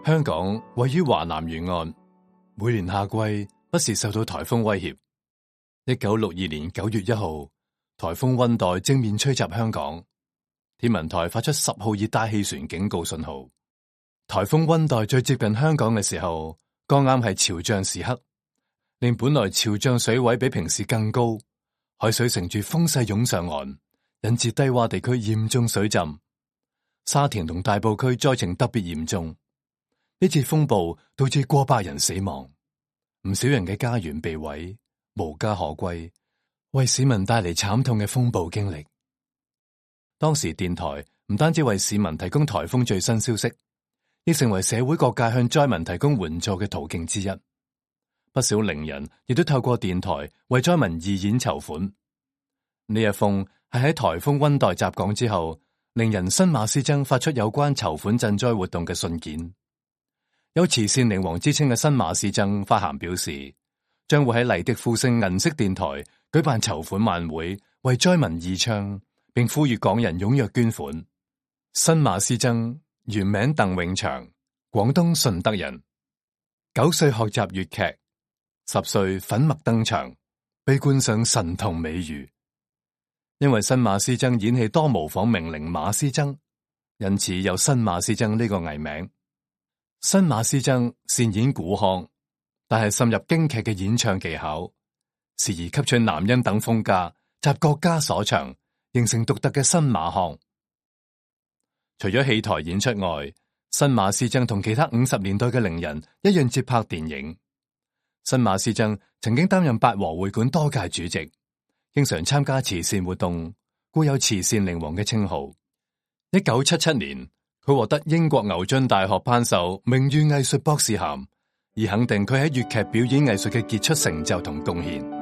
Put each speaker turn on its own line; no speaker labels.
香港位於華南沿岸，每年夏季不時受到颱風威脅。1962年9月1號，颱風溫黛正面吹襲香港，天文台發出10號熱帶氣旋警告信號。颱風溫黛最接近香港嘅時候，剛啱係潮漲時刻，令本來潮漲水位比平時更高，海水乘住風勢湧上岸，引致低洼地區嚴重水浸。沙田同大埔區災情特別嚴重。呢次風暴導致過百人死亡，唔少人嘅家園被毀，無家可歸，為市民帶嚟慘痛嘅風暴經歷。當時電台唔單止為市民提供颱風最新消息，亦成為社會各界向災民提供援助嘅途徑之一。不少伶人亦都透過電台為災民義演籌款。呢一封係喺颱風溫黛襲港之後，伶人新馬師曾發出有關籌款賑災活動嘅信件。有慈善靈王之稱嘅新馬師曾發函表示，將會喺麗的呼聲銀色電台舉辦籌款晚會，為災民義唱，並呼籲港人踴躍捐款。新馬師曾原名鄧永祥，廣東順德人，9歲學習粵劇，10歲粉墨登場，被冠上神童美譽。因為新馬師曾演戲多模仿名伶馬師曾，因此有新馬師曾呢個藝名。新馬師曾擅演古腔，但係滲入京劇嘅演唱技巧，時而吸取南音等風格，集各家所長，形成獨特嘅新馬腔。除咗戲台演出外，新馬師曾同其他50年代嘅伶人一樣接拍電影。新馬師曾曾經擔任八和會館多屆主席，經常參加慈善活動，故有慈善靈王嘅稱號。1977年，佢獲得英國牛津大學頒授名譽藝術博士銜，以肯定佢喺粵劇表演藝術嘅傑出成就同貢獻。